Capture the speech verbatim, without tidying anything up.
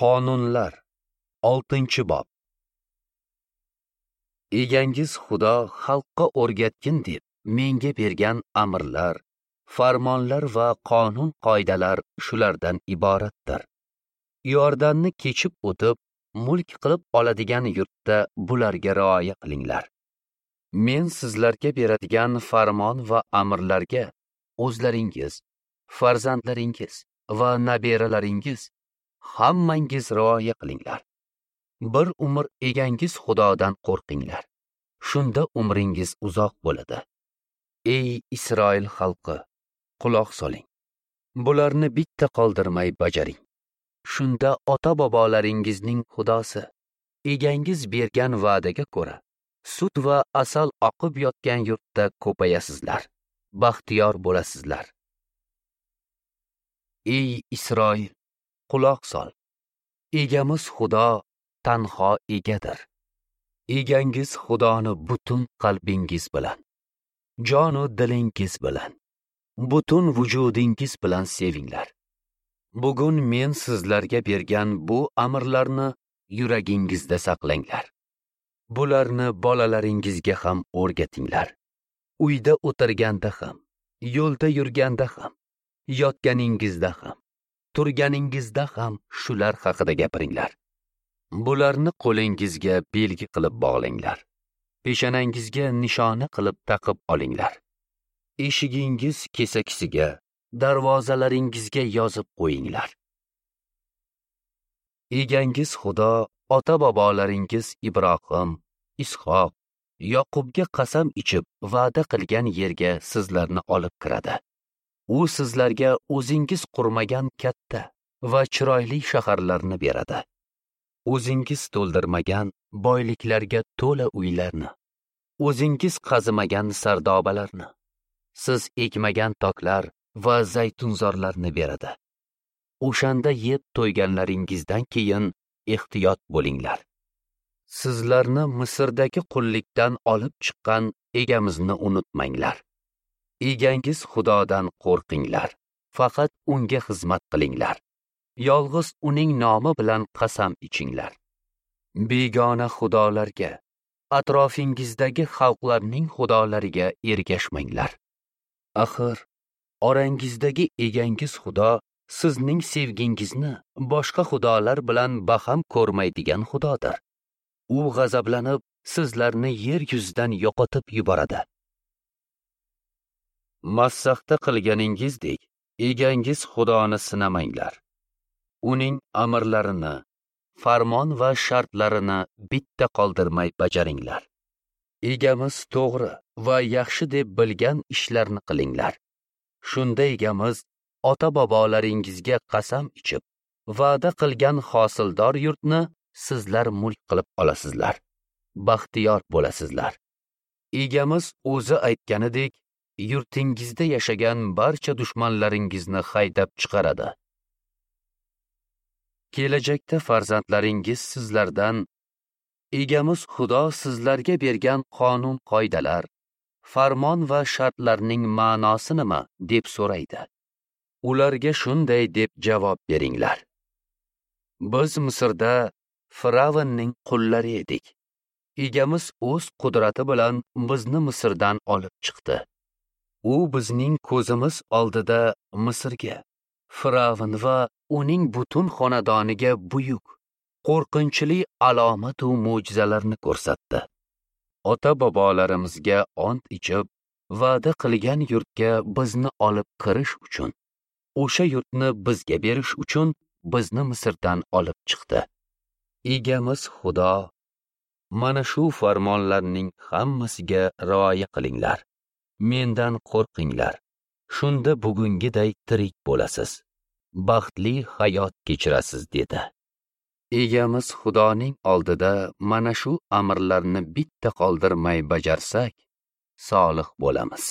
Qonunlar, oltinchi bob. Egangiz Xudo xalqqa o'rgatgin deb menga bergan amrlar, farmonlar va qonun qoidalar shulardan iboratdir. Iordanni kechib o'tib, mulk qilib oladigan yurtda bularga rioya qilinglar. Men sizlarga beradigan farmon va amrlarga o'zlaringiz, farzandlaringiz va nabiralaringiz hammangiz rioya qilinglar. Bir umr egangiz Xudodan qo'rqinglar. Shunda umringiz uzoq bo'ladi. Ey Isroil xalqi, quloq soling. Bularni bitta qoldirmay bajaring. Shunda ota-bobolaringizning Xudosi egangiz bergan va'daga ko'ra sut va asal oqib yotgan yurtda ko'payasizlar, baxtiyor bo'lasizlar. Ey Isroil, quloq sol. Egamiz Xudo tanho egadir. Egangiz Xudoni butun qalbingiz bilan, jonu dilingiz bilan, butun vujudingiz bilan sevinglar. Bugun men sizlarga bergan bu amrlarni yuragingizda saqlanglar. Bularni bolalaringizga ham o'rgatinglar. Uyda o'tirganda ham, yo'lda yurganda ham, yotganingizda ham, turganingizda ham shular haqida gapiringlar. Bularni qo'lingizga belgi qilib bog'langlar. Peshonangizga nishona qilib taqib olinglar. Eshigingiz kesakisiga, darvozalaringizga yozib qo'yinglar. Egangiz Xudo ota-bobolaringiz Ibrohim, Ishoq, Yoqubga qasam ichib va'da qilgan yerga sizlarni olib kiradi. U sizlarga o'zingiz qurmagan katta va chiroyli shaharlarni beradi. O'zingiz to'ldirmagan boyliklarga to'la uylarni, o'zingiz qazimagan sardobalarni, siz ekmagan toklar va zaytunzorlarni beradi. O'shanda yeb to'yganlaringizdan keyin ehtiyot bo'linglar. Sizlarni Misrdagi qullikdan olib chiqqan egamizni unutmanglar. Egangiz Xudodan qo'rqinglar, faqat unga xizmat qilinglar. Yolg'iz uning nomi bilan qasam ichinglar. Begona xudolarga, atrofingizdagi xalqlarning xudolariga ergashmanglar. Axir, orangizdagi egangiz Xudo sizning sevgingizni boshqa xudolar bilan baham ko'rmaydigan xudodir. U g'azablanib, sizlarni yer yuzidan yo'qotib yuboradi. Massahda qilganingizdek, egangiz Xudoni sinamanglar. Uning amrlarini, farmon va shartlarini bitta qoldirmay bajaringlar. Egamiz to'g'ri va yaxshi deb bilgan ishlarni qilinglar. Shunda egamiz ota-bobolaringizga qasam ichib, va'da qilgan hosildor yurtni sizlar mulk qilib olasizlar, baxtiyor bo'lasizlar. Egamiz o'zi aytganidek, yurtingizda yashagan barcha dushmanlaringizni haydab chiqaradi. Kelajakda farzandlaringiz sizlardan egamiz Xudo sizlarga bergan qonun qoidalar, farmon va shartlarning ma'nosi nima deb so'raydi. Ularga shunday deb javob beringlar. Biz Misrda Firavnning qullari edik. Egamiz o'z qudrati bilan bizni Misrdan olib chiqdi. U bizning ko'zimiz oldida Misrga, Firavn va uning butun xonadoniga buyuk, qo'rqinchli alomat va mo'jizalarni ko'rsatdi. Ota-bobolarimizga ont ichib, va'da qilgan yurtga bizni olib kirish uchun, o'sha yurtni bizga berish uchun bizni Misrdan olib chiqdi. Egamiz Xudo mana shu farmonlarning hammasiga rioya qilinglar. Mendan qo'rqinglar. Shunda bugungiday tirik bo'lasiz, baxtli hayot kechirasiz dedi. Egamiz Xudoning oldida mana shu amrlarni bitta qoldirmay bajarsak, solih bo'lamiz.